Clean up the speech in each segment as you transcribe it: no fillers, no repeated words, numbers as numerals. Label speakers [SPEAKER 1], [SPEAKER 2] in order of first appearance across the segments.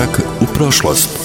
[SPEAKER 1] Korak u prošlost.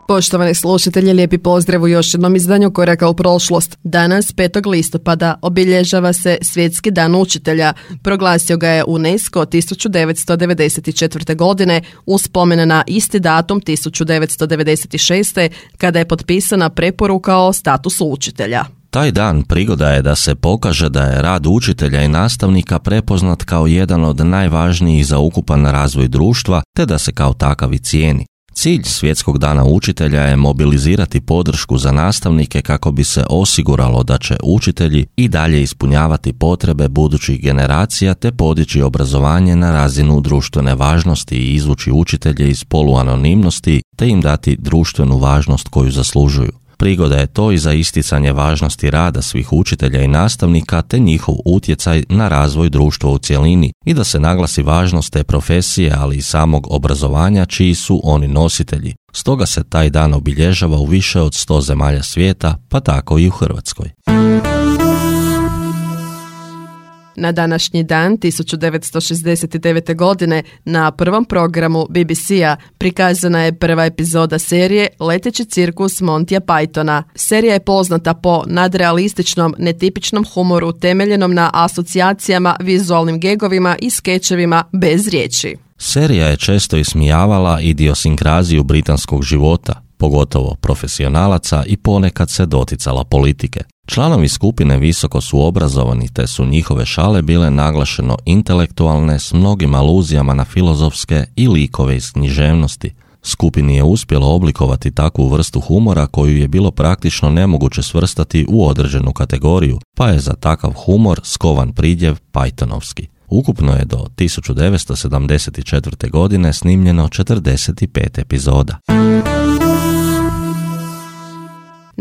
[SPEAKER 2] Poštovani slušatelji, lijepi pozdrav u još jednom izdanju Koraka u prošlost. Danas, 5. listopada, obilježava se Svjetski dan učitelja. Proglasio ga je UNESCO 1994. godine uz spomen na isti datum 1996. kada je potpisana preporuka o statusu učitelja.
[SPEAKER 3] Taj dan prigoda je da se pokaže da je rad učitelja i nastavnika prepoznat kao jedan od najvažnijih za ukupan razvoj društva, te da se kao takav i cijeni. Cilj Svjetskog dana učitelja je mobilizirati podršku za nastavnike kako bi se osiguralo da će učitelji i dalje ispunjavati potrebe budućih generacija te podići obrazovanje na razinu društvene važnosti i izvući učitelje iz poluanonimnosti te im dati društvenu važnost koju zaslužuju. Prigoda je to i za isticanje važnosti rada svih učitelja i nastavnika te njihov utjecaj na razvoj društva u cjelini i da se naglasi važnost te profesije, ali i samog obrazovanja čiji su oni nositelji. Stoga se taj dan obilježava u više od 100 zemalja svijeta, pa tako i u Hrvatskoj.
[SPEAKER 2] Na današnji dan 1969. godine na prvom programu BBC-a prikazana je prva epizoda serije Leteći cirkus Montya Pythona. Serija je poznata po nadrealističnom, netipičnom humoru temeljenom na asocijacijama, vizualnim gegovima i skečevima bez riječi.
[SPEAKER 3] Serija je često ismijavala idiosinkraziju britanskog života, pogotovo profesionalaca, i ponekad se doticala politike. Članovi skupine visoko su obrazovani te su njihove šale bile naglašeno intelektualne s mnogim aluzijama na filozofske i likove iz književnosti. Skupini je uspjelo oblikovati takvu vrstu humora koju je bilo praktično nemoguće svrstati u određenu kategoriju, pa je za takav humor skovan pridjev Pythonovski. Ukupno je do 1974. godine snimljeno 45 epizoda.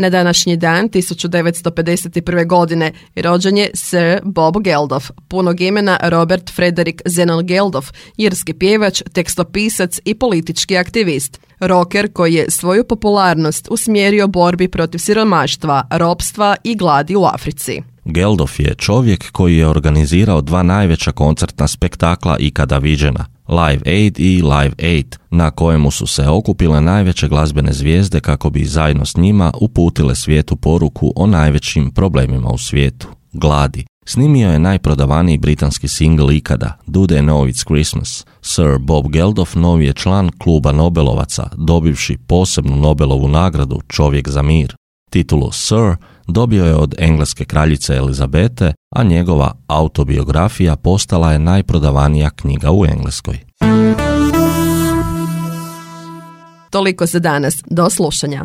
[SPEAKER 2] Na današnji dan 1951. godine rođen je Sir Bob Geldof, punog imena Robert Frederick Zenon Geldof, irski pjevač, tekstopisac i politički aktivist. Rocker koji je svoju popularnost usmjerio borbi protiv siromaštva, ropstva i gladi u Africi.
[SPEAKER 3] Geldof je čovjek koji je organizirao 2 najveća koncertna spektakla ikada viđena, Live Aid i Live Aid, na kojemu su se okupile najveće glazbene zvijezde kako bi zajedno s njima uputile svijetu poruku o najvećim problemima u svijetu, gladi. Snimio je najprodavaniji britanski singl ikada, Do They Know It's Christmas. Sir Bob Geldof novi je član kluba Nobelovaca, dobivši posebnu Nobelovu nagradu Čovjek za mir. Titulu Sir dobio je od engleske kraljice Elizabete, a njegova autobiografija postala je najprodavanija knjiga u Engleskoj.
[SPEAKER 2] Toliko za danas. Do slušanja.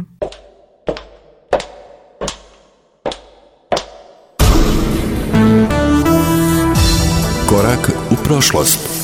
[SPEAKER 1] Korak u prošlost.